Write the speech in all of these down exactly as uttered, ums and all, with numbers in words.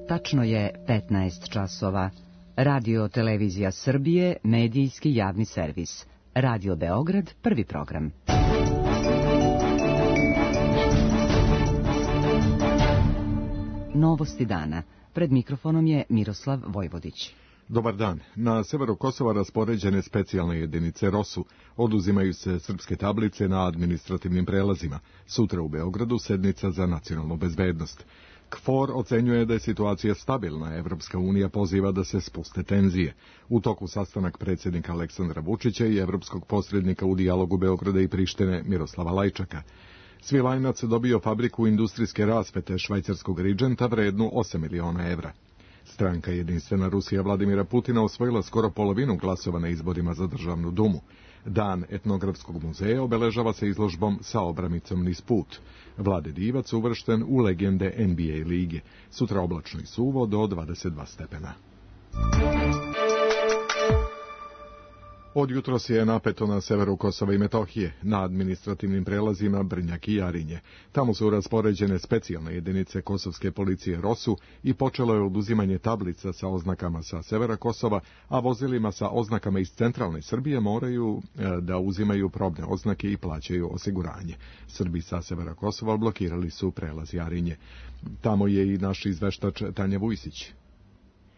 Tačno je petnaest časova. Radio Televizija Srbije, medijski javni servis. Radio Beograd, prvi program. Novosti dana. Pred mikrofonom je Miroslav Vojvodić. Dobar dan. Na severu Kosova raspoređene specijalne jedinice ROSU. Oduzimaju se srpske tablice na administrativnim prelazima. Sutra u Beogradu sednica za nacionalnu bezbednost. KFOR ocenjuje da je situacija stabilna. Evropska unija poziva da se spuste tenzije. U toku sastanak predsjednika Aleksandra Vučića i evropskog posrednika u dijalogu Beograda i Prištine Miroslava Lajčaka. Svilajnac dobio fabriku industrijske rasvete švajcarskog Ridženta vrednu osam miliona evra. Stranka Jedinstvena Rusija Vladimira Putina osvojila skoro polovinu glasova na izborima za državnu dumu. Dan etnografskog muzeja obeležava se izložbom sa obramicom niz put. Vlade Divac uvršten u legende N B A lige. Sutra oblačno i suvo do dvadeset dva stepena. Od jutros je napeto na severu Kosova i Metohije, na administrativnim prelazima Brnjak i Jarinje. Tamo su raspoređene specijalne jedinice kosovske policije ROSU i počelo je oduzimanje tablica sa oznakama sa severa Kosova, a vozilima sa oznakama iz centralne Srbije moraju e, da uzimaju probne oznake i plaćaju osiguranje. Srbi sa severa Kosova blokirali su prelaz Jarinje. Tamo je i naš izveštač Tanja Vujsić.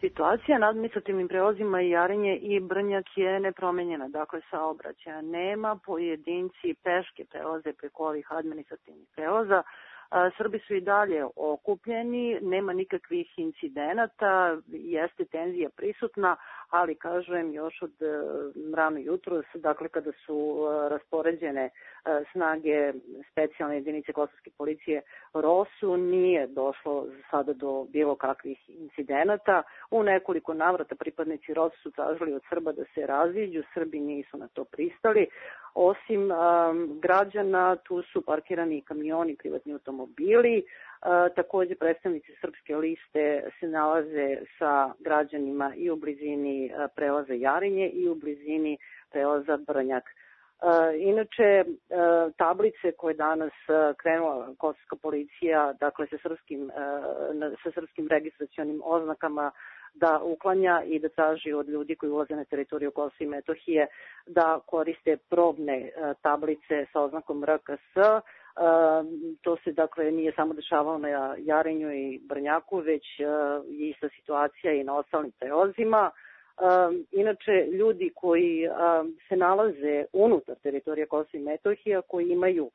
Situacija na administrativnim prelazima i Jarinje i Brnjak je nepromenjena, dakle saobraćaja nema, pojedinci peške prelaze preko ovih administrativnih prelaza. Srbi su i dalje okupljeni, nema nikakvih incidenata, jeste tenzija prisutna, ali kažem još od rano jutros, dakle kada su raspoređene snage specijalne jedinice kosovske policije ROSU, nije došlo sada do bilo kakvih incidenata. U nekoliko navrata pripadnici ROSU su tražili od Srba da se raziđu, Srbi nisu na to pristali. Osim um, građana, tu su parkirani kamioni, privatni automobili. Uh, također predstavnici Srpske liste se nalaze sa građanima i u blizini uh, prelaza Jarinje i u blizini prelaza Brnjak. Uh, inače, uh, tablice koje danas uh, krenula kosovska policija, dakle sa srpskim, uh, sa srpskim registracionim oznakama, da uklanja i da traži od ljudi koji ulaze na teritoriju Kosova i Metohije da koriste probne uh, tablice sa oznakom R K S. Uh, to se dakle nije samo dešavalo na Jarinju i Brnjaku, već uh, je ista situacija i na ostalim prelazima. Um, inače, ljudi koji um, se nalaze unutar teritorija Kosova i Metohija, koji imaju uh,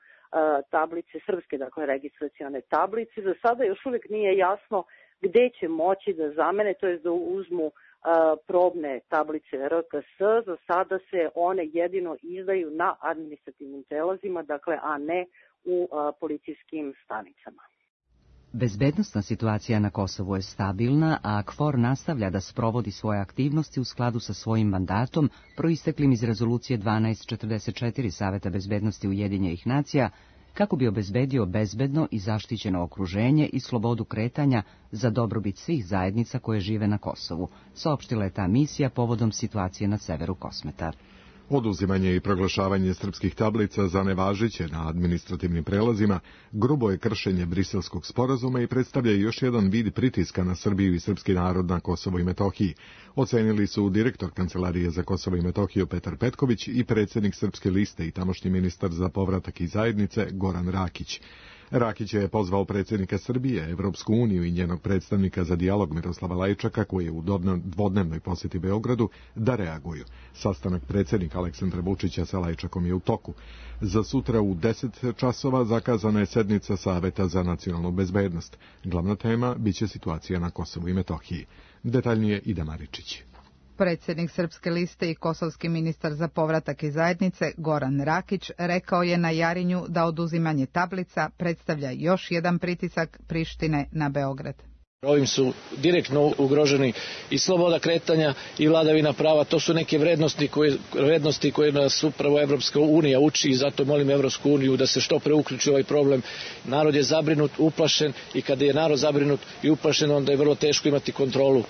tablice srpske, dakle registracione tablice, za sada još uvijek nije jasno gde će moći da zamene, to je da uzmu uh, probne tablice R K S. Za sada se one jedino izdaju na administrativnim prelazima, dakle, a ne u uh, policijskim stanicama. Bezbednosna situacija na Kosovu je stabilna, a KFOR nastavlja da sprovodi svoje aktivnosti u skladu sa svojim mandatom, proisteklim iz rezolucije dvanaest četrdeset četiri Saveta bezbednosti Ujedinjenih nacija, kako bi obezbedio bezbedno i zaštićeno okruženje i slobodu kretanja za dobrobit svih zajednica koje žive na Kosovu, saopštila je ta misija povodom situacije na severu Kosmeta. Oduzimanje i proglašavanje srpskih tablica za nevažeće na administrativnim prelazima grubo je kršenje Briselskog sporazuma i predstavlja još jedan vid pritiska na Srbiju i srpski narod na Kosovo i Metohiji. Ocenili su direktor Kancelarije za Kosovo i Metohiju Petar Petković i predsjednik Srpske liste i tamošnji ministar za povratak i zajednice Goran Rakić. Rakić je pozvao predsjednika Srbije, Evropsku uniju i njenog predstavnika za dijalog Miroslava Lajčaka, koji je u dvodnevnoj posjeti Beogradu, da reaguju. Sastanak predsjednika Aleksandra Vučića sa Lajčakom je u toku. Za sutra u deset časova zakazana je sednica Saveta za nacionalnu bezbednost. Glavna tema biće situacija na Kosovu i Metohiji. Detaljnije Ida Maričić. Predsjednik Srpske liste i kosovski ministar za povratak i zajednice Goran Rakić rekao je na Jarinju da oduzimanje tablica predstavlja još jedan pritisak Prištine na Beograd. Ovim su direktno ugroženi i sloboda kretanja i vladavina prava. To su neke vrednosti koje, vrednosti koje nas upravo Evropska unija uči i zato molim Evropsku uniju da se što pre uključi ovaj problem. Narod je zabrinut, uplašen i kada je narod zabrinut i uplašen, onda je vrlo teško imati kontrolu uh,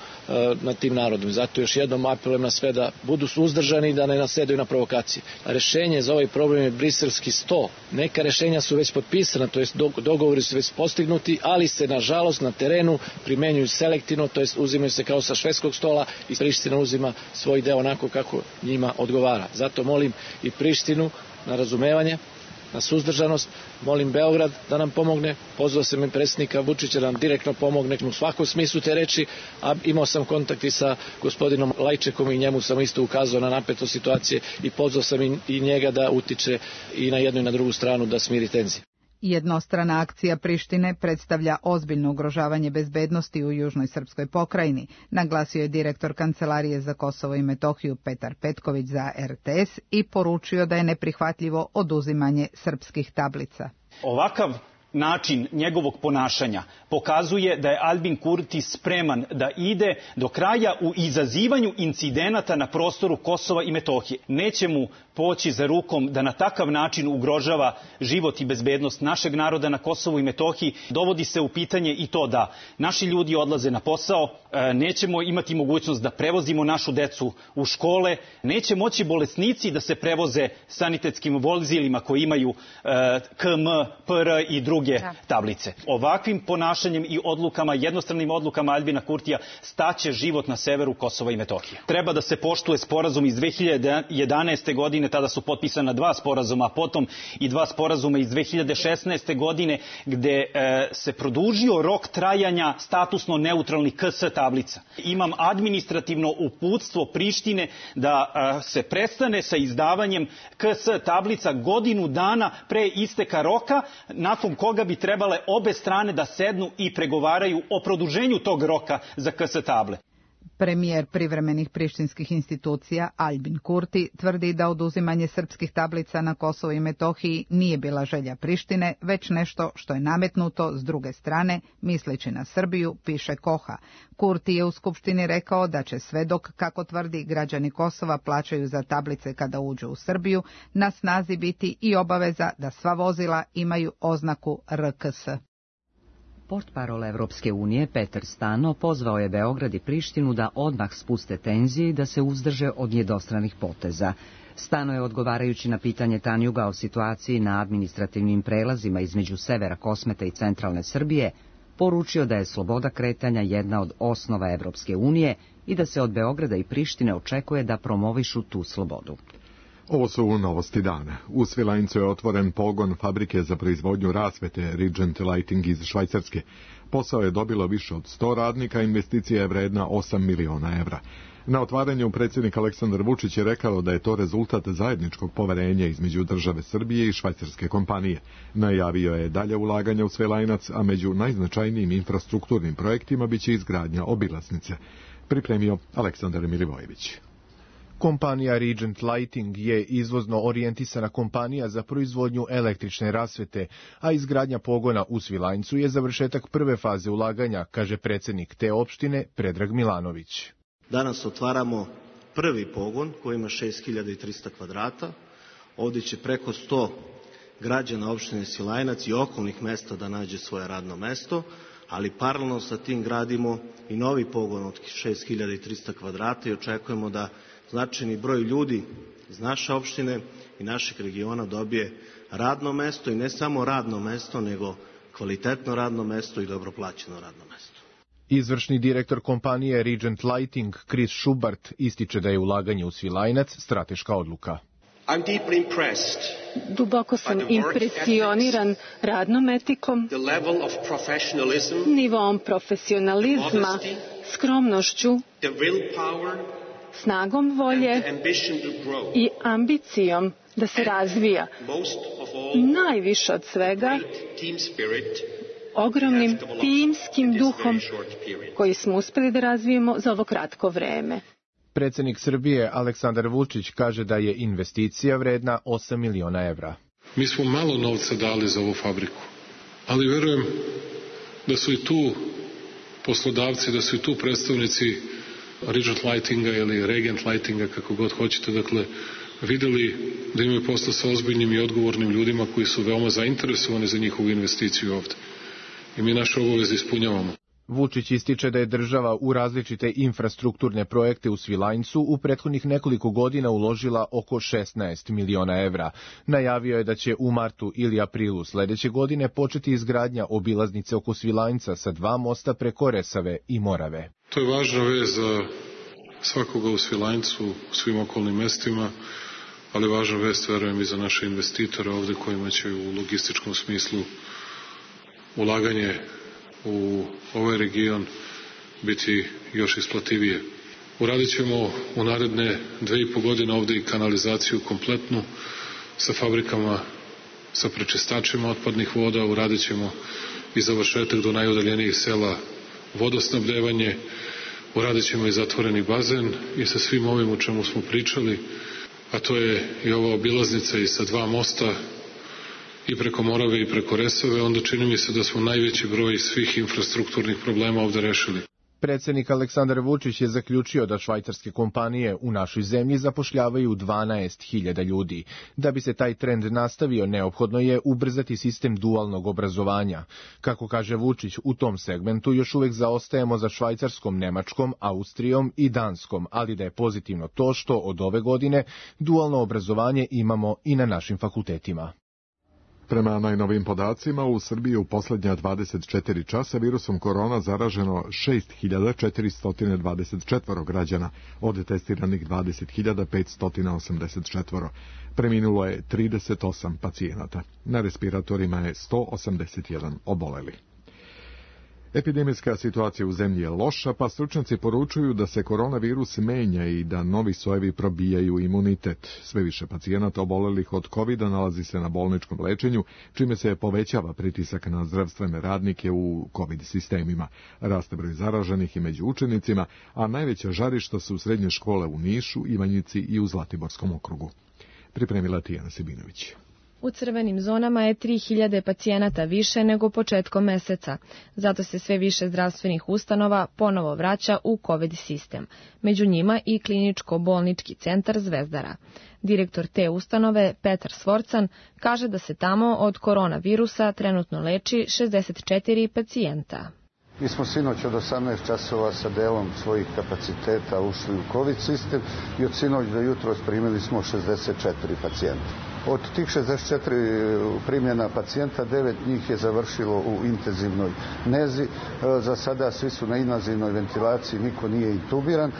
nad tim narodom. Zato još jednom apelujem na sve da budu suzdržani i da ne nasedaju na provokacije. Rešenje za ovaj problem je briselski sto. Neka rešenja su već potpisana, to jest dogovori su već postignuti, ali se nažalost na terenu primenjuju selektivno, to jest uzimaju se kao sa švedskog stola i Priština uzima svoj deo onako kako njima odgovara. Zato molim i Prištinu na razumevanje, na suzdržanost, molim Beograd da nam pomogne, pozvao sam i predsjednika Vučića da nam direktno pomogne u svakom smislu te reči, a imao sam kontakt i sa gospodinom Lajčekom i njemu sam isto ukazao na napetost situacije i pozvao sam i njega da utiče i na jednu i na drugu stranu da smiri tenzije. Jednostrana akcija Prištine predstavlja ozbiljno ugrožavanje bezbednosti u južnoj srpskoj pokrajini, naglasio je direktor Kancelarije za Kosovo i Metohiju Petar Petković za R T S i poručio da je neprihvatljivo oduzimanje srpskih tablica. Ovakav način njegovog ponašanja pokazuje da je Albin Kurti spreman da ide do kraja u izazivanju incidenata na prostoru Kosova i Metohije. Neće mu poći za rukom da na takav način ugrožava život i bezbednost našeg naroda na Kosovu i Metohiji. Dovodi se u pitanje i to da naši ljudi odlaze na posao, nećemo imati mogućnost da prevozimo našu decu u škole, neće moći bolesnici da se prevoze sanitetskim vozilima koji imaju K M, P R i druge tablice. Ovakvim ponašanjem i odlukama, jednostranim odlukama Albina Kurtija staće život na severu Kosova i Metohije. Treba da se poštuje sporazum iz dve hiljade jedanaeste. godine, tada su potpisana dva sporazuma, a potom i dva sporazuma iz dve hiljade šesnaeste. godine, gde e, se produžio rok trajanja statusno neutralnih K S tablica. Imam administrativno uputstvo Prištine da e, se prestane sa izdavanjem K S tablica godinu dana pre isteka roka, nakon koga bi trebale obe strane da sednu i pregovaraju o produženju tog roka za K S table. Premijer privremenih prištinskih institucija Albin Kurti tvrdi da oduzimanje srpskih tablica na Kosovo i Metohiji nije bila želja Prištine, već nešto što je nametnuto s druge strane, misleći na Srbiju, piše Koha. Kurti je u Skupštini rekao da će sve dok, kako tvrdi, građani Kosova plaćaju za tablice kada uđu u Srbiju, na snazi biti i obaveza da sva vozila imaju oznaku R K S. Portparol Evropske unije Petar Stano pozvao je Beograd i Prištinu da odmah spuste tenzije i da se uzdrže od jednostranih poteza. Stano je, odgovarajući na pitanje Tanjuga o situaciji na administrativnim prelazima između severa Kosmeta i centralne Srbije, poručio da je sloboda kretanja jedna od osnova Evropske unije i da se od Beograda i Prištine očekuje da promovišu tu slobodu. Ovo su novosti dana. U Svilajncu je otvoren pogon fabrike za proizvodnju rasvete Regent Lighting iz Švajcarske. Posao je dobilo više od sto radnika, investicija je vredna osam miliona evra. Na otvaranju predsjednik Aleksandar Vučić je rekao da je to rezultat zajedničkog poverenja između države Srbije i švajcarske kompanije. Najavio je dalje ulaganja u Svilajnac, a među najznačajnijim infrastrukturnim projektima biće izgradnja obilaznice. Pripremio Aleksandar Milivojević. Kompanija Regent Lighting je izvozno orijentisana kompanija za proizvodnju električne rasvete, a izgradnja pogona u Svilajncu je završetak prve faze ulaganja, kaže predsjednik te opštine Predrag Milanović. Danas otvaramo prvi pogon koji ima šest hiljada trista kvadrata. Ovdje će preko sto građana opštine Svilajnac i okolnih mesta da nađe svoje radno mesto, ali paralelno sa tim gradimo i novi pogon od šest hiljada trista kvadrata i očekujemo da značajni broj ljudi iz naše opštine i našeg regiona dobije radno mesto i ne samo radno mesto, nego kvalitetno radno mesto i dobro plaćeno radno mesto. Izvršni direktor kompanije Regent Lighting, Chris Schubart, ističe da je ulaganje u Svilajnac strateška odluka. Duboko sam impresioniran radnom etikom, nivom profesionalizma, skromnošću, snagom volje i ambicijom da se razvija. Najviše od svega, ogromnim timskim duhom koji smo uspjeli da razvijemo za ovo kratko vreme. Predsjednik Srbije Aleksandar Vučić kaže da je investicija vredna osam miliona evra. Mi smo malo novca dali za ovu fabriku, ali verujem da su i tu poslodavci, da su i tu predstavnici Regent Lightinga ili Regent Lightinga, kako god hoćete, dakle, videli da imaju posla sa ozbiljnim i odgovornim ljudima koji su veoma zainteresovani za njihovu investiciju ovde. I mi naše obaveze ispunjavamo. Vučić ističe da je država u različite infrastrukturne projekte u Svilajncu u prethodnih nekoliko godina uložila oko šesnaest miliona evra. Najavio je da će u martu ili aprilu sledeće godine početi izgradnja obilaznice oko Svilajnca sa dva mosta preko Resave i Morave. To je važna vez za svakoga u Svilajncu, u svim okolnim mestima, ali važna vest, verujem, i za naše investitore ovde kojima će u logističkom smislu ulaganje u ovaj region biti još isplativije. Uradit ćemo u naredne dve i po godine ovde i kanalizaciju kompletnu sa fabrikama, sa prečistačima otpadnih voda, uradit ćemo i završetak do najudaljenijih sela vodosnabdevanje, uradit ćemo i zatvoreni bazen i sa svim ovim o čemu smo pričali, a to je i ova obilaznica i sa dva mosta i preko Morave i preko Resave, onda čini mi se da smo najveći broj svih infrastrukturnih problema ovde rešili. Predsednik Aleksandar Vučić je zaključio da švajcarske kompanije u našoj zemlji zapošljavaju dvanaest hiljada ljudi. Da bi se taj trend nastavio, neophodno je ubrzati sistem dualnog obrazovanja. Kako kaže Vučić, u tom segmentu još uvek zaostajemo za Švajcarskom, Nemačkom, Austrijom i Danskom, ali da je pozitivno to što od ove godine dualno obrazovanje imamo i na našim fakultetima. Prema najnovim podacima, u Srbiji u poslednja dvadeset četiri časa virusom korona zaraženo šest hiljada četiristo dvadeset četiri građana, od testiranih dvadeset hiljada petsto osamdeset četiri. Preminulo je trideset osam pacijenata. Na respiratorima je sto osamdeset jedan oboleli. Epidemijska situacija u zemlji je loša, pa stručnjaci poručuju da se koronavirus menja i da novi sojevi probijaju imunitet. Sve više pacijenata obolelih od kovida nalazi se na bolničkom lečenju, čime se povećava pritisak na zdravstvene radnike u covid sistemima. Raste broj zaraženih i među učenicima, a najveća žarišta su srednje škole u Nišu, Ivanjici i u Zlatiborskom okrugu. Pripremila Tijana Sibinović. U crvenim zonama je tri hiljade pacijenata više nego početkom meseca. Zato se sve više zdravstvenih ustanova ponovo vraća u covid sistem. Među njima i kliničko-bolnički centar Zvezdara. Direktor te ustanove, Petar Svorcan, kaže da se tamo od koronavirusa trenutno leči šezdeset četiri pacijenta. Mi smo sinoć od osamnaest časova sa delom svojih kapaciteta ušli u covid sistem i od sinoć do jutros primili smo šezdeset četiri pacijenta. Od tih šezdeset četiri primljena pacijenta, devet njih je završilo u intenzivnoj nezi. Za sada svi su na invazivnoj ventilaciji, niko nije intubiran.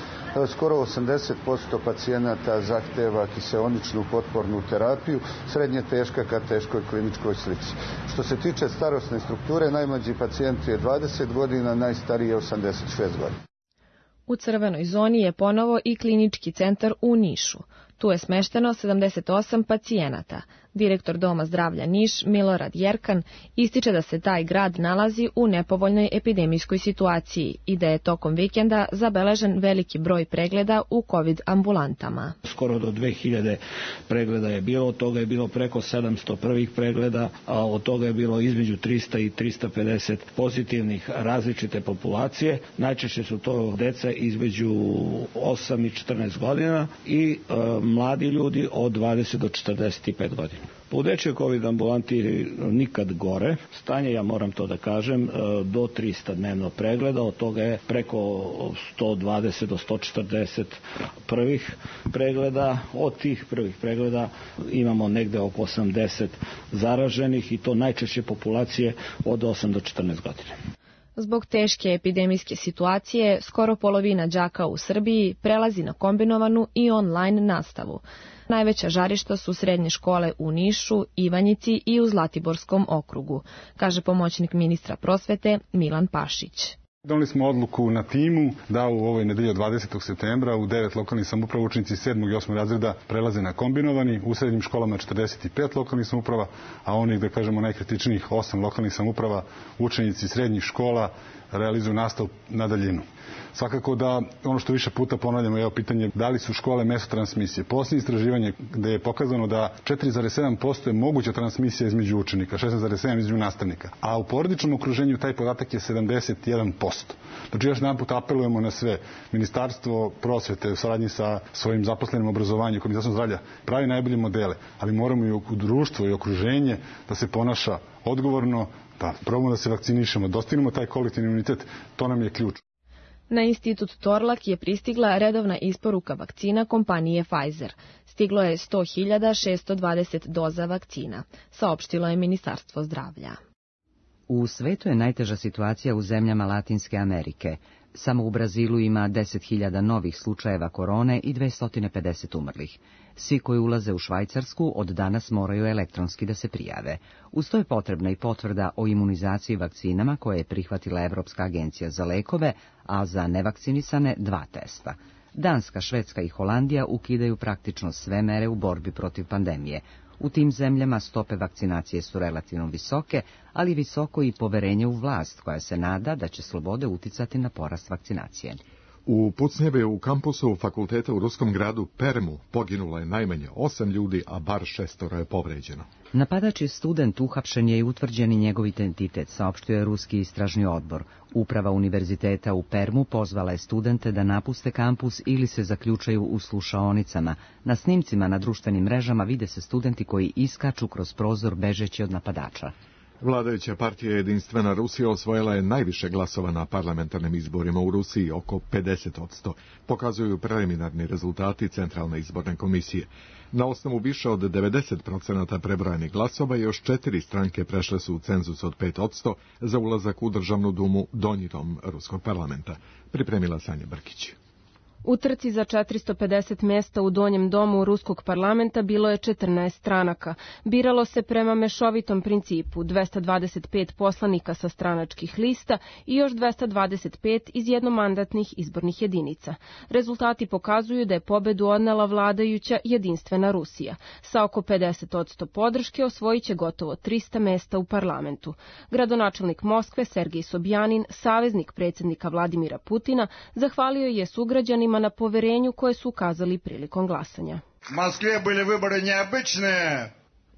Skoro osamdeset posto pacijenata zahteva kiseoničnu potpornu terapiju, srednje teška ka teškoj kliničkoj slici. Što se tiče starosne strukture, najmlađi pacijent je dvadeset godina, najstariji je osamdeset šest godina. U crvenoj zoni je ponovo i klinički centar u Nišu. Tu je smešteno sedamdeset osam pacijenata. Direktor Doma zdravlja Niš, Milorad Jerkan, ističe da se taj grad nalazi u nepovoljnoj epidemijskoj situaciji i da je tokom vikenda zabeležen veliki broj pregleda u covid ambulantama. Skoro do dve hiljade pregleda je bilo, od toga je bilo preko sedamsto prvih pregleda, a od toga je bilo između trista i trista pedeset pozitivnih različite populacije. Najčešće su to deca između osam i četrnaest godina i e, mladi ljudi od dvadeset do četrdeset pet godina. U dečjoj covid ambulanti nikad gore. Stanje, ja moram to da kažem, do trista dnevno pregleda, od toga je preko sto dvadeset do sto četrdeset prvih pregleda. Od tih prvih pregleda imamo negde oko osamdeset zaraženih i to najčešće populacije od osam do četrnaest godina. Zbog teške epidemijske situacije, skoro polovina đaka u Srbiji prelazi na kombinovanu i online nastavu. Najveća žarišta su srednje škole u Nišu, Ivanjici i u Zlatiborskom okrugu, kaže pomoćnik ministra prosvete Milan Pašić. Doneli smo odluku na timu da u ovoj nedelji od dvadesetog septembra u devet lokalnih samouprava učenici sedmog i osmog razreda prelaze na kombinovani, u srednjim školama četrdeset pet lokalnih samouprava, a onih, da kažemo, najkritičnijih osam lokalnih samouprava učenici srednjih škola realizuju nastavu na daljinu. Svakako da ono što više puta ponavljamo je pitanje da li su škole mesto transmisije. Posljednje istraživanje gde je pokazano da četiri zarez sedam posto je moguća transmisija između učenika, šesnaest zarez sedam posto između nastavnika, a u porodičnom okruženju taj podatak je sedamdeset jedan posto. Znači još jedan put apelujemo na sve. Ministarstvo prosvete u saradnji sa svojim zaposlenim obrazovanjem, Ministarstvom zdravlja pravi najbolje modele, ali moramo i u društvo i okruženje da se ponaša odgovorno, Pa probamo da se vakcinišemo, dostignemo taj kolektivni imunitet, to nam je ključ. Na institut Torlak je pristigla redovna isporuka vakcina kompanije Pfizer. Stiglo je sto hiljada šesto dvadeset doza vakcina, saopštilo je Ministarstvo zdravlja. U svetu je najteža situacija u zemljama Latinske Amerike. Samo u Brazilu ima deset hiljada novih slučajeva korone i dvesta pedeset umrlih. Svi koji ulaze u Švajcarsku od danas moraju elektronski da se prijave. Uz to je potrebna i potvrda o imunizaciji vakcinama koje je prihvatila Evropska agencija za lekove, a za nevakcinisane dva testa. Danska, Švedska i Holandija ukidaju praktično sve mere u borbi protiv pandemije. U tim zemljama stope vakcinacije su relativno visoke, ali visoko i poverenje u vlast koja se nada da će slobode uticati na porast vakcinacije. U pucnjeve u kampusu fakulteta u ruskom gradu Permu poginulo je najmanje osam ljudi, a bar šestoro je povređeno. Napadač je student, uhapšen je i utvrđeni njegov identitet, saopštio je ruski istražni odbor. Uprava univerziteta u Permu pozvala je studente da napuste kampus ili se zaključaju u slušaonicama. Na snimcima na društvenim mrežama vide se studenti koji iskaču kroz prozor bežeći od napadača. Vladajuća partija Jedinstvena Rusija osvojila je najviše glasova na parlamentarnim izborima u Rusiji, oko pedeset posto, pokazuju preliminarni rezultati Centralne izborne komisije. Na osnovu više od devedeset posto prebrojanih glasova još četiri stranke prešle su u cenzus od pet posto za ulazak u Državnu dumu, donji dom ruskog parlamenta. Pripremila Sanja Brkić. U trci za četiristo pedeset mjesta u donjem domu ruskog parlamenta bilo je četrnaest stranaka. Biralo se prema mešovitom principu, dvesta dvadeset pet poslanika sa stranačkih lista i još dvesta dvadeset pet iz jednomandatnih izbornih jedinica. Rezultati pokazuju da je pobedu odnela vladajuća Jedinstvena Rusija. Sa oko pedeset posto podrške osvojit će gotovo trista mjesta u parlamentu. Gradonačelnik Moskve Sergej Sobjanin, saveznik predsjednika Vladimira Putina, zahvalio je sugrađanima na poverenju koje su ukazali prilikom glasanja.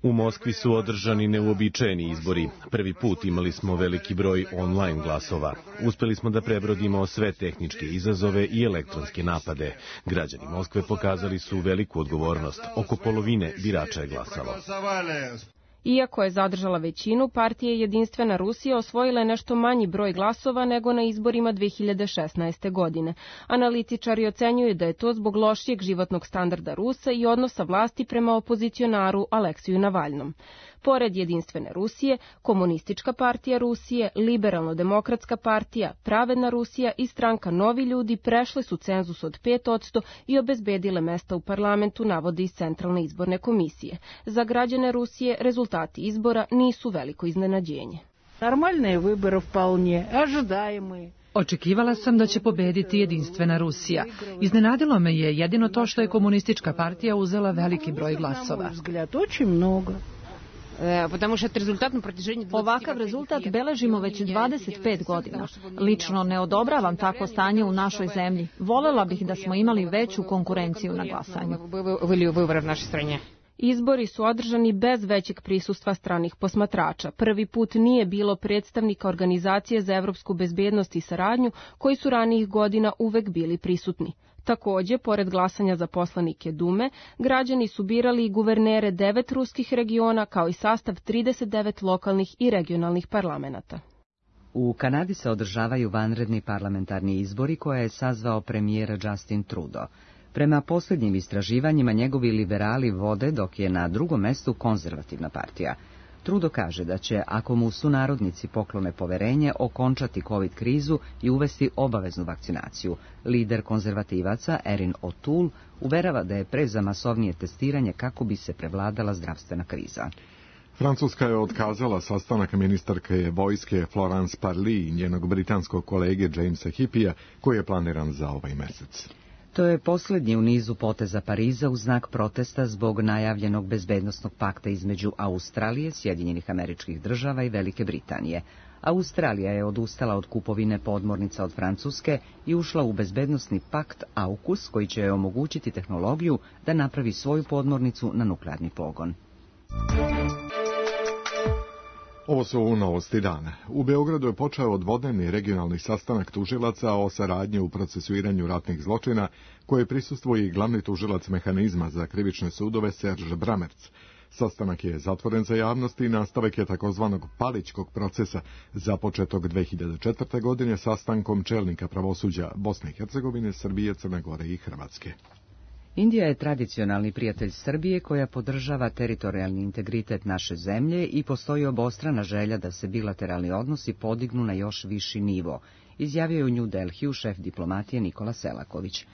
U Moskvi su održani neuobičajeni izbori. Prvi put imali smo veliki broj online glasova. Uspeli smo da prebrodimo sve tehničke izazove i elektronske napade. Građani Moskve pokazali su veliku odgovornost. Oko polovine birača je glasalo. Iako je zadržala većinu, partija Jedinstvena Rusija osvojila je nešto manji broj glasova nego na izborima dve hiljade šesnaeste. godine. Analitičari ocenjuju da je to zbog lošijeg životnog standarda Rusa i odnosa vlasti prema opozicionaru Aleksiju Navalnom. Pored Jedinstvene Rusije, Komunistička partija Rusije, Liberalno-demokratska partija, Pravedna Rusija i stranka Novi ljudi prešle su cenzus od pet posto i obezbedile mesta u parlamentu, navode iz Centralne izborne komisije. Za građane Rusije rezultati izbora nisu veliko iznenađenje. Normalne выборы вполне ожидаемые. Očekivala sam da će pobediti Jedinstvena Rusija. Iznenadilo me je jedino to što je Komunistička partija uzela veliki broj glasova. Ovakav rezultat beležimo već dvadeset pet godina. Lično ne odobravam takvo stanje u našoj zemlji. Volela bih da smo imali veću konkurenciju na glasanju. Izbori su održani bez većeg prisustva stranih posmatrača. Prvi put nije bilo predstavnika Organizacije za evropsku bezbednost i saradnju, koji su ranijih godina uvek bili prisutni. Takođe, pored glasanja za poslanike Dume, građani su birali i guvernere devet ruskih regiona, kao i sastav trideset devet lokalnih i regionalnih parlamenata. U Kanadi se održavaju vanredni parlamentarni izbori koje je sazvao premijer Justin Trudeau. Prema posljednjim istraživanjima njegovi liberali vode, dok je na drugom mestu konzervativna partija. Trudeau kaže da će, ako mu sunarodnici poklone poverenje, okončati COVID krizu i uvesti obaveznu vakcinaciju. Lider konzervativaca Erin O'Toole uverava da je pre za masovnije testiranje kako bi se prevladala zdravstvena kriza. Francuska je otkazala sastanak ministarke vojske Florence Parly i njenog britanskog kolege Jamesa Hippija, koji je planiran za ovaj mesec. To je posljednji u nizu poteza Pariza u znak protesta zbog najavljenog bezbednosnog pakta između Australije, Sjedinjenih Američkih Država i Velike Britanije. Australija je odustala od kupovine podmornica od Francuske i ušla u bezbednosni pakt AUKUS, koji će joj omogućiti tehnologiju da napravi svoju podmornicu na nuklearni pogon. Ovo su novosti dana. U Beogradu je počeo dvodnevni regionalni sastanak tužilaca o saradnji u procesuiranju ratnih zločina, koje prisustvuje i glavni tužilac mehanizma za krivične sudove Serge Bramerc. Sastanak je zatvoren za javnost i nastavak je takozvanog Palićkog procesa započetog dve hiljade četvrte. godine sastankom čelnika pravosuđa Bosne i Hercegovine, Srbije, Crne Gore i Hrvatske. Indija je tradicionalni prijatelj Srbije koja podržava teritorijalni integritet naše zemlje i postoji obostrana želja da se bilateralni odnosi podignu na još viši nivo, izjavio je u New Delhiju šef diplomatije Nikola Selaković.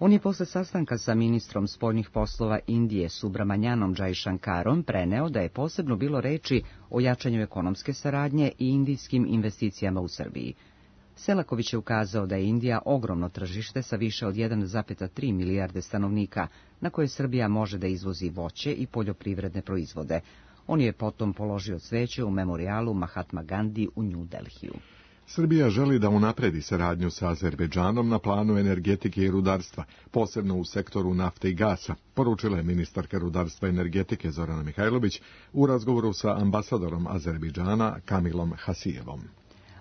On je posle sastanka sa ministrom spoljnih poslova Indije Subramanianom Jaishankarom preneo da je posebno bilo reči o jačanju ekonomske saradnje i indijskim investicijama u Srbiji. Selaković je ukazao da je Indija ogromno tržište sa više od jedan zarez tri milijarde stanovnika, na koje Srbija može da izvozi voće i poljoprivredne proizvode. On je potom položio cveće u memorijalu Mahatma Gandhi u New Delhiju. Srbija želi da unapredi saradnju sa Azerbejdžanom na planu energetike i rudarstva, posebno u sektoru nafte i gasa, poručila je ministarka rudarstva i energetike Zorana Mihajlović u razgovoru sa ambasadorom Azerbejdžana Kamilom Hasijevom.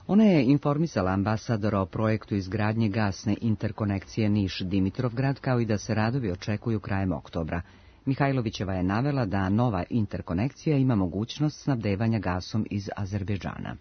Ona je informisala ambasadora o projektu izgradnje gasne interkonekcije Niš-Dimitrovgrad, kao i da se radovi očekuju krajem oktobra. Mihajlovićeva je navela da nova interkonekcija ima mogućnost snabdevanja gasom iz Azerbejdžana.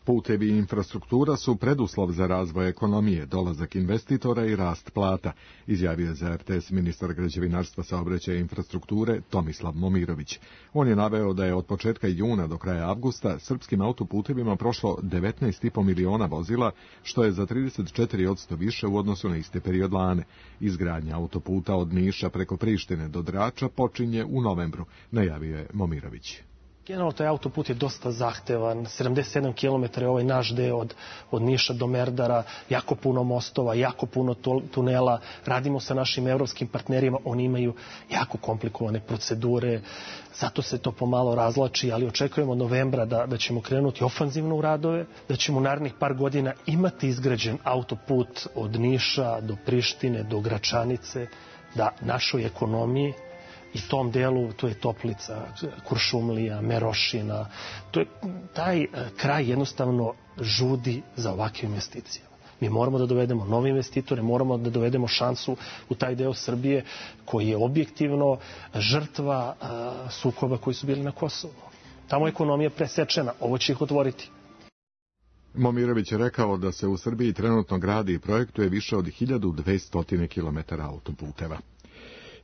Putevi i infrastruktura su preduslov za razvoj ekonomije, dolazak investitora i rast plata, izjavio je za R T S ministar građevinarstva, saobraćaja i infrastrukture Tomislav Momirović. On je naveo da je od početka juna do kraja avgusta srpskim autoputevima prošlo devetnaest i po miliona vozila, što je za trideset četiri posto više u odnosu na iste period lane. Izgradnja autoputa od Niša preko Prištine do Drača počinje u novembru, najavio je Momirović. Generalno, taj autoput je dosta zahtevan, sedamdeset sedam kilometara je ovaj naš deo od, od Niša do Merdara, jako puno mostova, jako puno tunela, radimo sa našim evropskim partnerima, oni imaju jako komplikovane procedure, zato se to pomalo razlači, ali očekujemo od novembra da, da ćemo krenuti ofanzivno u radove, da ćemo u narednih par godina imati izgrađen autoput od Niša do Prištine, do Gračanice, da našoj ekonomiji i tom delu, to je Toplica, Kuršumlija, Merošina, to je, taj kraj jednostavno žudi za ovakve investicije. Mi moramo da dovedemo nove investitore, moramo da dovedemo šansu u taj deo Srbije koji je objektivno žrtva uh, sukoba koji su bili na Kosovu. Tamo je ekonomija presečena, ovo će ih otvoriti. Momirović je rekao da se u Srbiji trenutno gradi i projektuje više od hiljadu dvesta kilometara autoputeva.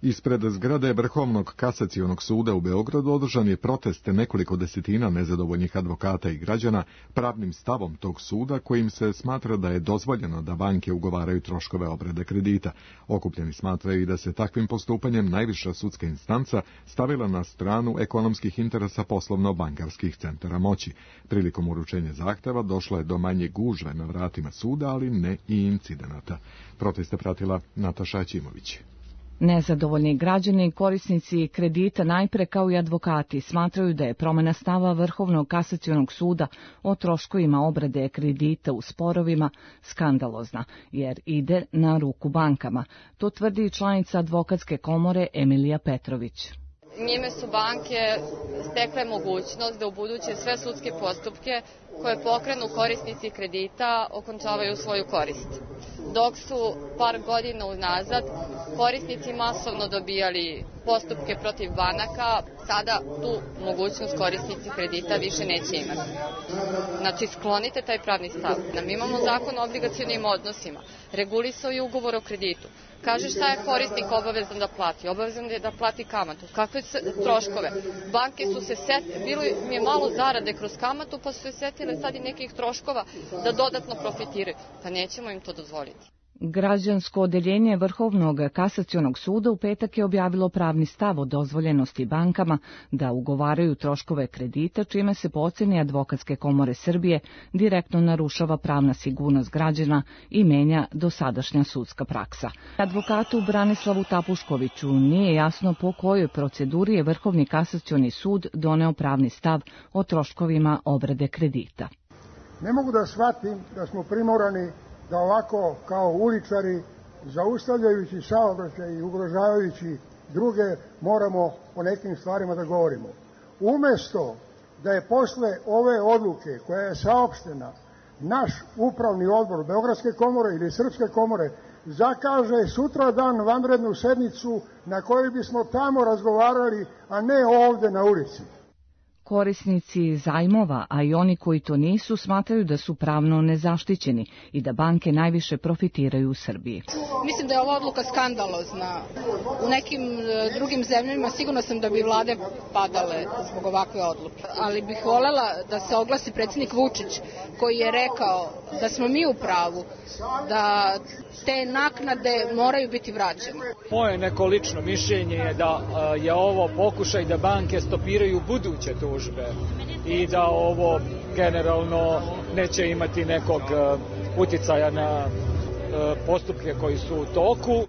Ispred zgrade Vrhovnog kasacionog suda u Beogradu održan je protest nekoliko desetina nezadovoljnih advokata i građana pravnim stavom tog suda, kojim se smatra da je dozvoljeno da banke ugovaraju troškove obrade kredita. Okupljeni smatraju i da se takvim postupanjem najviša sudska instanca stavila na stranu ekonomskih interesa poslovno-bankarskih centara moći. Prilikom uručenja zahteva došlo je do manje gužve na vratima suda, ali ne i incidenata. Proteste pratila Nataša Aćimović. Nezadovoljni građani i korisnici kredita najpre kao i advokati smatraju da je promjena stava Vrhovnog kasacionog suda o troškovima obrade kredita u sporovima skandalozna, jer ide na ruku bankama. To tvrdi članica advokatske komore Emilija Petrović. Njime su banke stekle mogućnost da u buduće sve sudske postupke koje pokrenu korisnici kredita okončavaju svoju korist. Dok su par godina unazad korisnici masovno dobijali postupke protiv banaka, sada tu mogućnost korisnici kredita više neće imati. Znači, sklonite taj pravni stav. Mi imamo zakon o obligacionim odnosima, regulisao je ugovor o kreditu. Kaže šta je korisnik obavezan da plati? Obavezan je da plati kamatu. Kakve troškove? Banke su se setile, bilo mi je malo zarade kroz kamatu, pa su se setile sad i nekih troškova da dodatno profitiraju. Pa nećemo im to dozvoliti. Građansko odeljenje Vrhovnog kasacionog suda u petak je objavilo pravni stav o dozvoljenosti bankama da ugovaraju troškove kredita, čime se po oceni Advokatske komore Srbije direktno narušava pravna sigurnost građana i menja dosadašnja sudska praksa. Advokatu Branislavu Tapuškoviću nije jasno po kojoj proceduri je Vrhovni kasacioni sud doneo pravni stav o troškovima obrade kredita. Ne mogu da shvatim da smo primorani da ovako kao uličari, zaustavljajući saobraćaj i ugrožavajući druge, moramo o nekim stvarima da govorimo. Umesto da je posle ove odluke koja je saopštena naš upravni odbor Beogradske komore ili Srpske komore zakaže sutra dan vanrednu sednicu na kojoj bismo tamo razgovarali, a ne ovde na ulici. Korisnici zajmova, a i oni koji to nisu, smatraju da su pravno nezaštićeni i da banke najviše profitiraju u Srbiji. Mislim da je ova odluka skandalozna. U nekim drugim zemljama sigurno sam da bi vlade padale zbog ovakve odluke. Ali bih volela da se oglasi predsjednik Vučić koji je rekao da smo mi u pravu, da te naknade moraju biti vraćene. Moje neko lično mišljenje je da je ovo pokušaj da banke stopiraju buduće tužbe i da ovo generalno neće imati nekog uticaja na postupke koji su u toku.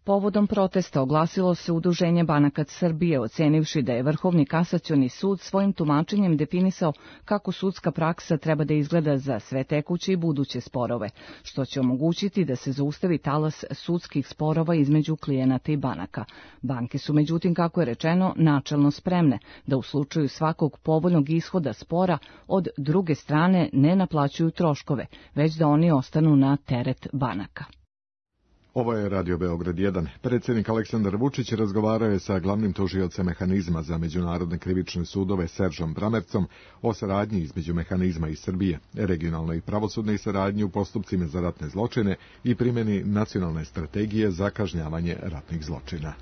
Povodom protesta oglasilo se Udruženje banaka Srbije, ocenivši da je Vrhovni kasacioni sud svojim tumačenjem definisao kako sudska praksa treba da izgleda za sve tekuće i buduće sporove, što će omogućiti da se zaustavi talas sudskih sporova između klijenata i banaka. Banke su, međutim, kako je rečeno, načelno spremne da u slučaju svakog povoljnog ishoda spora od druge strane ne naplaćuju troškove, već da oni ostanu na teret banaka. Ovo je Radio Beograd jedan. Predsjednik Aleksandar Vučić razgovarao je sa glavnim tužiocem mehanizma za međunarodne krivične sudove Seržom Bramercom o saradnji između mehanizma i Srbije, regionalnoj i pravosudnoj saradnji u postupcima za ratne zločine i primjeni nacionalne strategije za kažnjavanje ratnih zločina.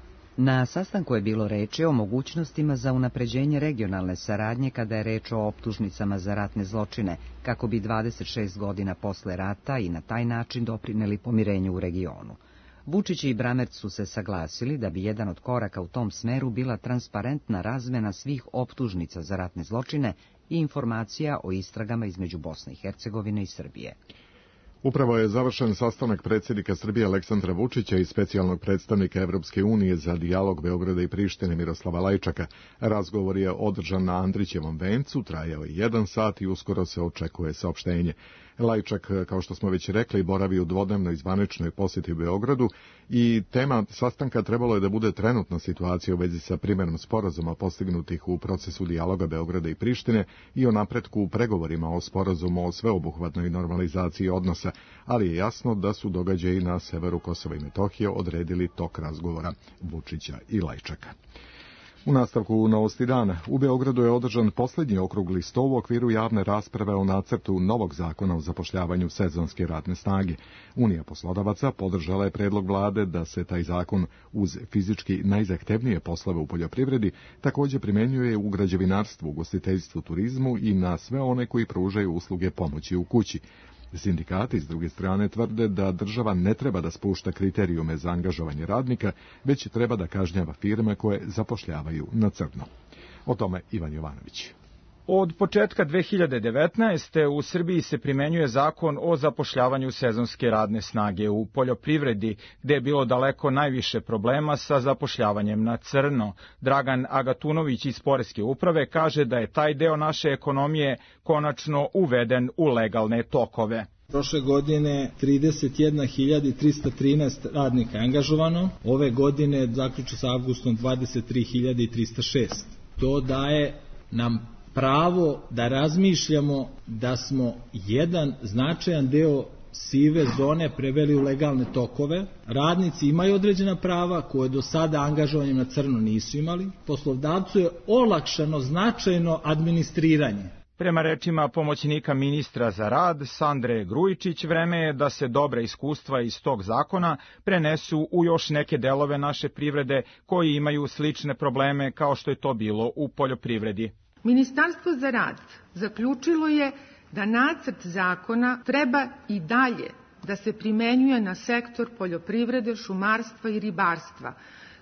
Na sastanku je bilo reči o mogućnostima za unapređenje regionalne saradnje kada je reč o optužnicama za ratne zločine, kako bi dvadeset šest godina posle rata i na taj način doprineli pomirenju u regionu. Vučić i Bramerc su se saglasili da bi jedan od koraka u tom smeru bila transparentna razmena svih optužnica za ratne zločine i informacija o istragama između Bosne i Hercegovine i Srbije. Upravo je završen sastanak predsjednika Srbije Aleksandra Vučića i specijalnog predstavnika Evropske unije za dijalog Beograda i Prištine Miroslava Lajčaka. Razgovor je održan na Andrićevom vencu, trajao je jedan sat i uskoro se očekuje saopštenje. Lajčak, kao što smo već rekli, boravi u dvodnevnoj zvaničnoj posjeti u Beogradu i tema sastanka trebalo je da bude trenutna situacija u vezi sa primjenom sporazuma postignutih u procesu dijaloga Beograda i Prištine i o napretku u pregovorima o sporazumu o sveobuhvatnoj normalizaciji odnosa, ali je jasno da su događaji na severu Kosova i Metohije odredili tok razgovora Vučića i Lajčaka. U nastavku novosti dana, u Beogradu je održan posljednji okrugli sto u okviru javne rasprave o nacrtu novog zakona o zapošljavanju sezonske radne snage. Unija poslodavaca podržala je predlog vlade da se taj zakon uz fizički najzahtevnije poslove u poljoprivredi također primjenjuje u građevinarstvu, ugostiteljstvu, turizmu i na sve one koji pružaju usluge pomoći u kući. Sindikati, s druge strane, tvrde da država ne treba da spušta kriterijume za angažovanje radnika, već treba da kažnjava firme koje zapošljavaju na crno. O tome Ivan Jovanović. Od početka dve hiljade devetnaeste. u Srbiji se primenjuje zakon o zapošljavanju sezonske radne snage u poljoprivredi, gde je bilo daleko najviše problema sa zapošljavanjem na crno. Dragan Agatunović iz Poreske uprave kaže da je taj deo naše ekonomije konačno uveden u legalne tokove. Prošle godine trideset jedna hiljada trista trinaest radnika je angažovano, ove godine zaključno sa avgustom dvadeset tri hiljade trista šest. To daje nam pravo da razmišljamo da smo jedan značajan deo sive zone preveli u legalne tokove. Radnici imaju određena prava koje do sada angažovanjem na crno nisu imali. Poslodavcu je olakšano značajno administriranje. Prema rečima pomoćnika ministra za rad Sandre Grujičić, vreme je da se dobra iskustva iz tog zakona prenesu u još neke delove naše privrede koji imaju slične probleme kao što je to bilo u poljoprivredi. Ministarstvo za rad zaključilo je da nacrt zakona treba i dalje da se primenjuje na sektor poljoprivrede, šumarstva i ribarstva,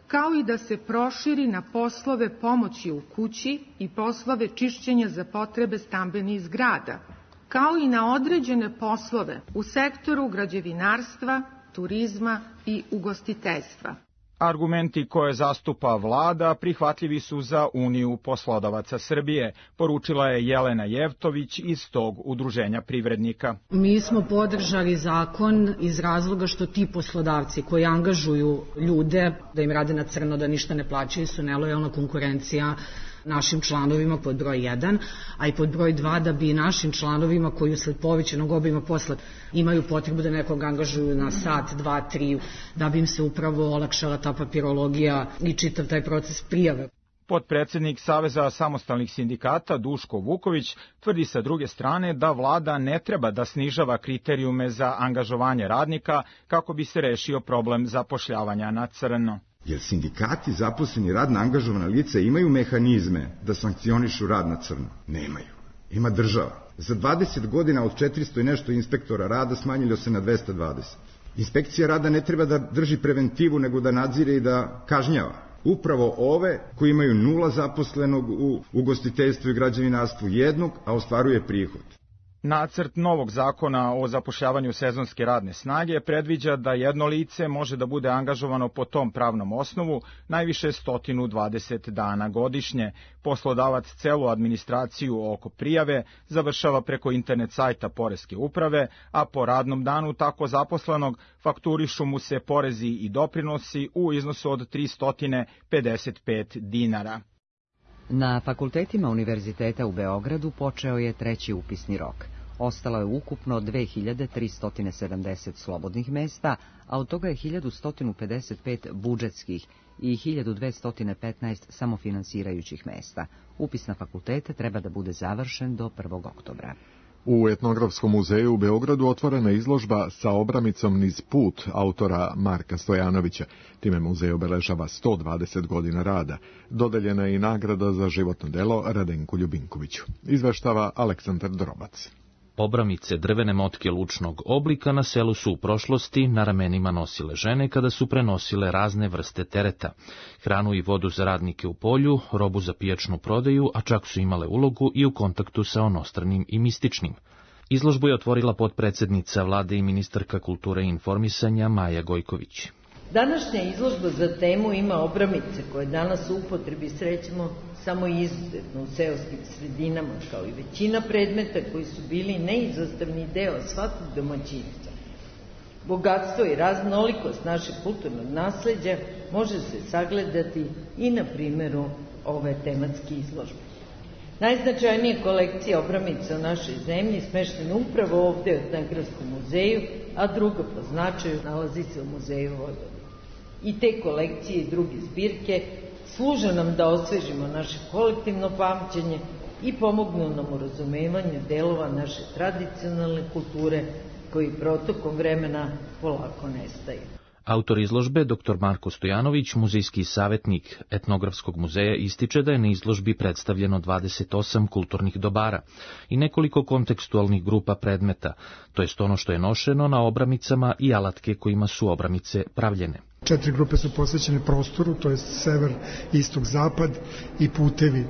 kao i da se proširi na poslove pomoći u kući i poslove čišćenja za potrebe stambenih zgrada, kao i na određene poslove u sektoru građevinarstva, turizma i ugostiteljstva. Argumenti koje zastupa vlada prihvatljivi su za Uniju poslodavaca Srbije, poručila je Jelena Jevtović iz tog udruženja privrednika. Mi smo podržali zakon iz razloga što ti poslodavci koji angažuju ljude da im rade na crno, da ništa ne plaćaju, su nelojalna konkurencija našim članovima pod broj jedan, a i pod broj dva da bi našim članovima koji usled povećanog obima posla imaju potrebu da nekog angažuju na sat, dva, tri, da bi im se upravo olakšala ta papirologija i čitav taj proces prijave. Potpredsednik Saveza samostalnih sindikata Duško Vuković tvrdi sa druge strane da vlada ne treba da snižava kriterijume za angažovanje radnika kako bi se rešio problem zapošljavanja na crno. Jer sindikati zaposleni radno angažovana lica imaju mehanizme da sankcionišu rad na crno? Nemaju. Ima država. Za dvadeset godina od četiristo i nešto inspektora rada smanjilo se na dvesta dvadeset. Inspekcija rada ne treba da drži preventivu, nego da nadzire i da kažnjava. Upravo ove koji imaju nula zaposlenog u ugostiteljstvu i građevinarstvu jednog, a ostvaruje prihod. Nacrt novog zakona o zapošljavanju sezonske radne snage predviđa da jedno lice može da bude angažovano po tom pravnom osnovu najviše sto dvadeset dana godišnje. Poslodavac celu administraciju oko prijave završava preko internet sajta Poreske uprave, a po radnom danu tako zaposlenog fakturišu mu se porezi i doprinosi u iznosu od tristo pedeset pet dinara. Na fakultetima Univerziteta u Beogradu počeo je treći upisni rok. Ostalo je ukupno dve hiljade tristo sedamdeset slobodnih mesta, a od toga je hiljadu sto pedeset pet budžetskih i hiljadu dvesta petnaest samofinansirajućih mesta. Upis na fakultete treba da bude završen do prvog oktobra. U Etnografskom muzeju u Beogradu otvorena izložba sa obramicom Niz put autora Marka Stojanovića. Time muzej obeležava sto dvadeset godina rada. Dodeljena je i nagrada za životno delo Radenku Ljubinkoviću. Izveštava Aleksandar Drobac. Obramice drvene motke lučnog oblika na selu su u prošlosti na ramenima nosile žene kada su prenosile razne vrste tereta. Hranu i vodu za radnike u polju, robu za pijačnu prodaju, a čak su imale ulogu i u kontaktu sa onostranim i mističnim. Izložbu je otvorila potpredsednica vlade i ministarka kulture i informisanja Maja Gojković. Današnja izložba za temu ima obramice koje danas u upotrebi srećemo samo izuzetno u seoskim sredinama, kao i većina predmeta koji su bili neizostavni deo svakog domaćinstva. Bogatstvo i raznolikost našeg kulturnog nasleđa može se sagledati i na primjeru ove tematske izložbe. Najznačajnije kolekcije obramica u našoj zemlji smeštene upravo ovde u Etnografskom muzeju, a druga po značaju nalazi se u Muzeju Vojvodine. I te kolekcije i druge zbirke služe nam da osvežimo naše kolektivno pamćenje i pomognu nam u razumevanju delova naše tradicionalne kulture koji protokom vremena polako nestaju. Autor izložbe, doktor Marko Stojanović, muzejski savjetnik Etnografskog muzeja, ističe da je na izložbi predstavljeno dvadeset osam kulturnih dobara i nekoliko kontekstualnih grupa predmeta, to jest ono što je nošeno na obramicama i alatke kojima su obramice pravljene. Četiri grupe su posvećene prostoru, to je sever, istok, zapad i putevi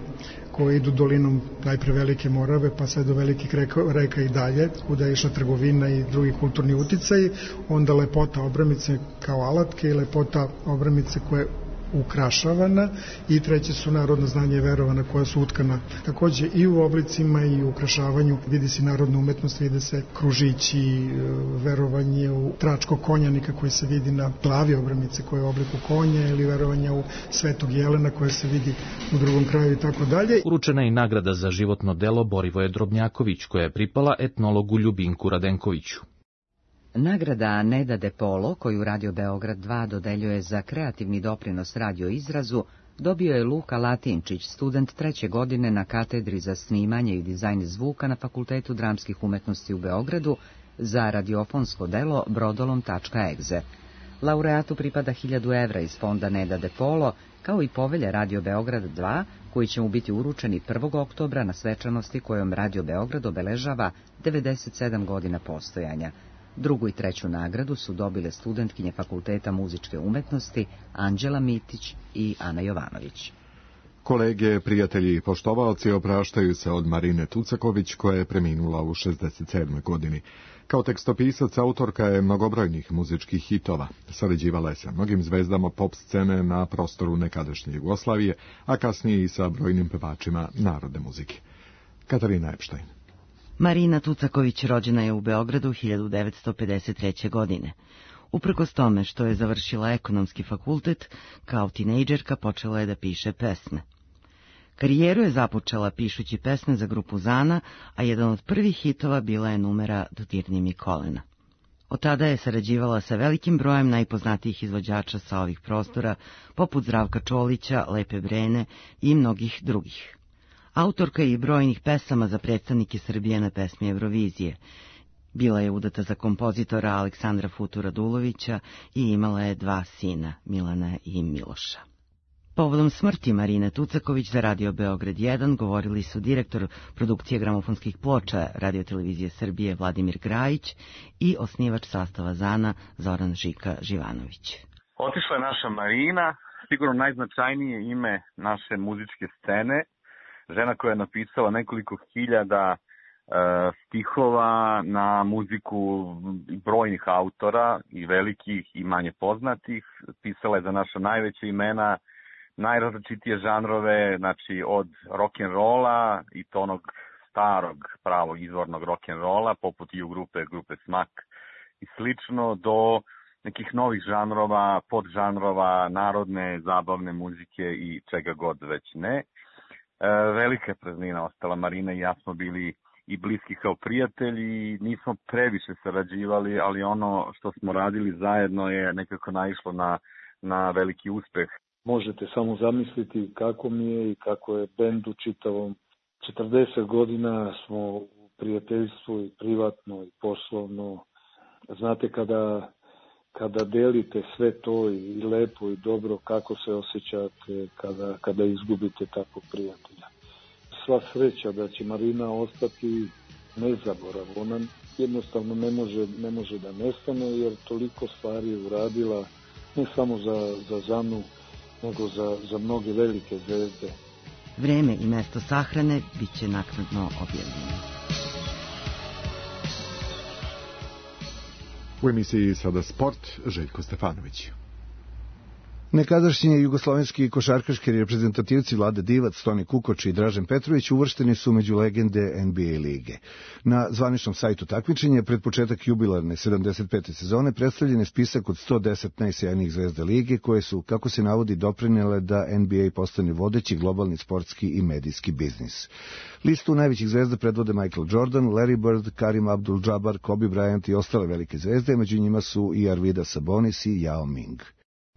koji idu dolinom najpre Velike Morave pa sve do velikih reka, reka i dalje, kuda je išla trgovina i drugi kulturni uticaji, onda lepota obramice kao alatke i lepota obramice koje ukrašavana i treće su narodno znanje i verovana koja su utkana takođe i u oblicima i u ukrašavanju. Vidi se narodna umetnost, vide se kružići, verovanje u tračkog konjanika koji se vidi na glavi obramice koja je u obliku konja ili verovanje u Svetog Jelena koje se vidi u drugom kraju i tako dalje. Uručena je i nagrada za životno delo Borivoje Drobnjaković koja je pripala etnologu Ljubinku Radenkoviću. Nagrada Neda de Polo, koju Radio Beograd dva dodeljuje za kreativni doprinos radio izrazu, dobio je Luka Latinčić, student treće godine na katedri za snimanje i dizajn zvuka na Fakultetu dramskih umetnosti u Beogradu za radiofonsko delo brodolom tačka egze. Laureatu pripada hiljadu evra iz fonda Neda de Polo, kao i povelja Radio Beograd dva, koji će mu biti uručeni prvog oktobra na svečanosti kojom Radio Beograd obeležava devedeset sedam godina postojanja. Drugu i treću nagradu su dobile studentkinje Fakulteta muzičke umetnosti Anđela Mitić i Ana Jovanović. Kolege, prijatelji i poštovaoci opraštaju se od Marine Tucaković koja je preminula u šezdeset sedmoj godini. Kao tekstopisac, autorka je mnogobrojnih muzičkih hitova. Sarađivala je sa mnogim zvezdama pop scene na prostoru nekadašnje Jugoslavije, a kasnije i sa brojnim pevačima narodne muzike. Katarina Epštajn. Marina Tucaković rođena je u Beogradu hiljadu devetsto pedeset treće. godine. Uprkos tome što je završila ekonomski fakultet, kao tinejdžerka počela je da piše pesme. Karijeru je započela pišući pesme za grupu Zana, a jedan od prvih hitova bila je numera Dodirni mi kolena. Od tada je sarađivala sa velikim brojem najpoznatijih izvođača sa ovih prostora, poput Zdravka Čolića, Lepe Brene i mnogih drugih. Autorka je i brojnih pesama za predstavnike Srbije na pesmi Eurovizije. Bila je udata za kompozitora Aleksandra Futu Radulovića i imala je dva sina, Milana i Miloša. Povodom smrti Marine Tucaković za Radio Beograd jedan govorili su direktor produkcije gramofonskih ploča Radio-televizije Srbije Vladimir Grajić i osnivač sastava Zana Zoran Žika Živanović. Otišla je naša Marina, sigurno najznačajnije ime naše muzičke scene, žena koja je napisala nekoliko hiljada e, stihova na muziku brojnih autora, i velikih i manje poznatih. Pisala je za naša najveća imena, najrazličitije žanrove, znači od rock'n'rolla i to onog starog pravog izvornog rock'n'rolla, poput i u grupe, grupe Smak i slično, do nekih novih žanrova, podžanrova, narodne, zabavne muzike i čega god već ne. E, velika praznina ostala. Marina i ja smo bili i bliski kao prijatelji, nismo previše sarađivali, ali ono što smo radili zajedno je nekako naišlo na, na veliki uspeh. Možete samo zamisliti kako mi je i kako je bend u čitavom. četrdeset godina smo u prijateljstvu i privatno i poslovno. Znate, kada, kada delite sve to i lepo i dobro, kako se osjećate kada, kada izgubite takvog prijatelja. Sva sreća da će Marina ostati nezaborav. Ona jednostavno ne može, ne može da nestane, jer toliko stvari je uradila, ne samo za, za Zanu, nego za, za mnoge velike zvezde. Vreme i mesto sahrane bit će naknadno objavljeno. U emisiji Sada sport, Željko Stefanović. Nekadašnji jugoslovenski košarkaški reprezentativci Vlada Divac, Toni Kukoč i Dražen Petrović uvršteni su među legende N B A lige. Na zvaničnom sajtu takmičenja pred početak jubilarne sedamdeset pete sezone predstavljen je spisak od sto deset najsjajnijih zvezda lige koje su, kako se navodi, doprinele da N B A postane vodeći globalni sportski i medijski biznis. Listu najvećih zvezda predvode Michael Jordan, Larry Bird, Karim Abdul-Jabbar, Kobe Bryant i ostale velike zvezde, među njima su i Arvidas Sabonis i Yao Ming.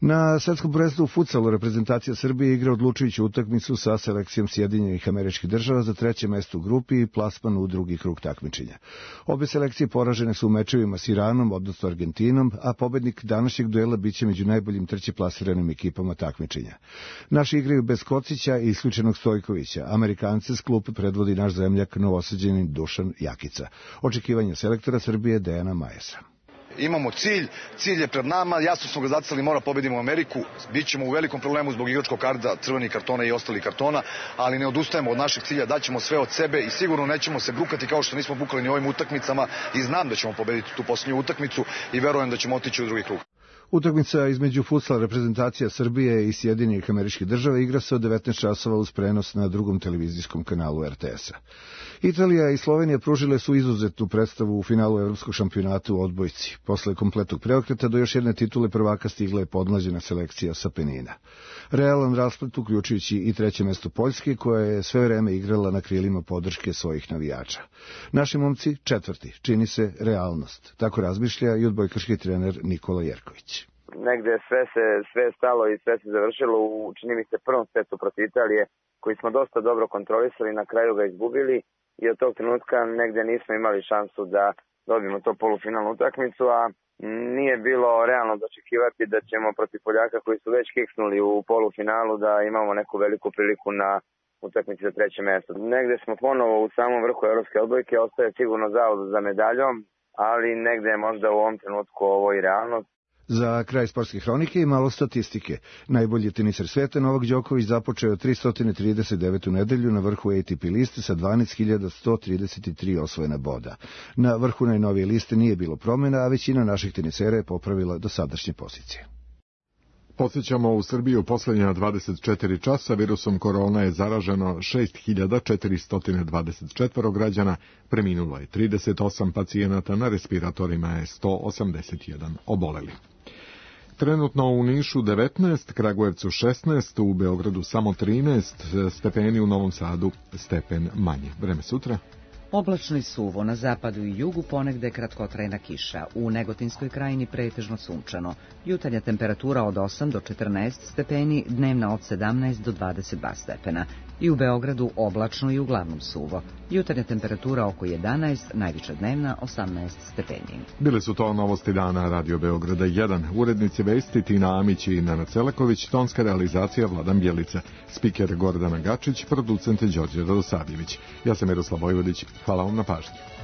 Na svetskom prvenstvu u fudsalu reprezentacija Srbije igra odlučujuću utakmicu sa selekcijom Sjedinjenih Američkih Država za treće mesto u grupi i plasman u drugi krug takmičenja. Obe selekcije poražene su u mečevima s Iranom, odnosno Argentinom, a pobednik današnjeg duela biće među najboljim trećeplasiranim ekipama takmičenja. Naši igraju bez Kocića i isključenog Stojkovića. Amerikance s klupe predvodi naš zemljak novosađenin Dušan Jakica. Očekivanja selektora Srbije Dejana Majesa. Imamo cilj, cilj je pred nama, jasno smo ga zacrtali, mora pobedimo Ameriku, bit ćemo u velikom problemu zbog igračkog karta, crvenih kartona i ostalih kartona, ali ne odustajemo od našeg cilja, daćemo sve od sebe i sigurno nećemo se brukati kao što nismo bukali ni ovim utakmicama i znam da ćemo pobediti tu posljednju utakmicu i verujem da ćemo otići u drugi krug. Utakmica između futsal reprezentacija Srbije i Sjedinjenih Američkih Država igra se od devetnaest časova uz prenos na drugom televizijskom kanalu R T S-a. Italija i Slovenija pružile su izuzetnu predstavu u finalu evropskog šampionata u odbojci. Posle kompletnog preokreta do još jedne titule prvaka stigla je podmlađena selekcija sa Penina. Realan rasplet, uključujući i treće mesto Poljske, koja je sve vreme igrala na krilima podrške svojih navijača. Naši momci četvrti, čini se realnost. Tako razmišlja i odbojkaški trener Nikola Jerković. Negde sve se sve je stalo i sve se završilo u, čini mi se, prvom setu protiv Italije, koji smo dosta dobro kontrolisali, na kraju ga izgubili i od tog trenutka negde nismo imali šansu da dobijemo to polufinalnu utakmicu, a nije bilo realno očekivati da ćemo protiv Poljaka koji su već kiksnuli u polufinalu da imamo neku veliku priliku na utakmici za treće mesto. Negde smo ponovo u samom vrhu evropske odbojke, ostaje sigurno zavod za medaljom, ali negde je možda u ovom trenutku ovo i realnost. Za kraj sportske hronike i malo statistike. Najbolji teniser sveta Novak Đoković započeo tristo trideset devetu nedelju na vrhu A T P liste sa dvanaest hiljada sto trideset tri osvojena boda. Na vrhu najnovije liste nije bilo promjena, a većina naših tenisera je popravila dosadašnje pozicije. Podsjećamo, u Srbiji u posljednja dvadeset četiri časa virusom korona je zaraženo šest hiljada četiristo dvadeset četiri građana, preminulo je trideset osam pacijenata, na respiratorima je sto osamdeset jedan oboleli. Trenutno u Nišu devetnaest, Kragujevcu šesnaest, u Beogradu samo trinaest stepeni, u Novom Sadu stepen manje. Vreme sutra. Oblačno i suvo, na zapadu i jugu ponegde kratkotrajna kiša, u Negotinskoj krajini pretežno sunčano. Jutarnja temperatura od osam do četrnaest stepeni, dnevna od sedamnaest do dvadeset dva stepena. I u Beogradu oblačno i uglavnom suvo. Jutarnja temperatura oko jedanaest, najviša dnevna osamnaest stepeni. Bile su to novosti dana Radio Beograda jedan. Urednici vesti Tina Amić i Nana Celaković, tonska realizacija Vladan Bjelica, spiker Gordana Gačić, producent Đorđe Radosavljević. Ja sam Miroslav Vojvodić. Hvala vam na pažnji.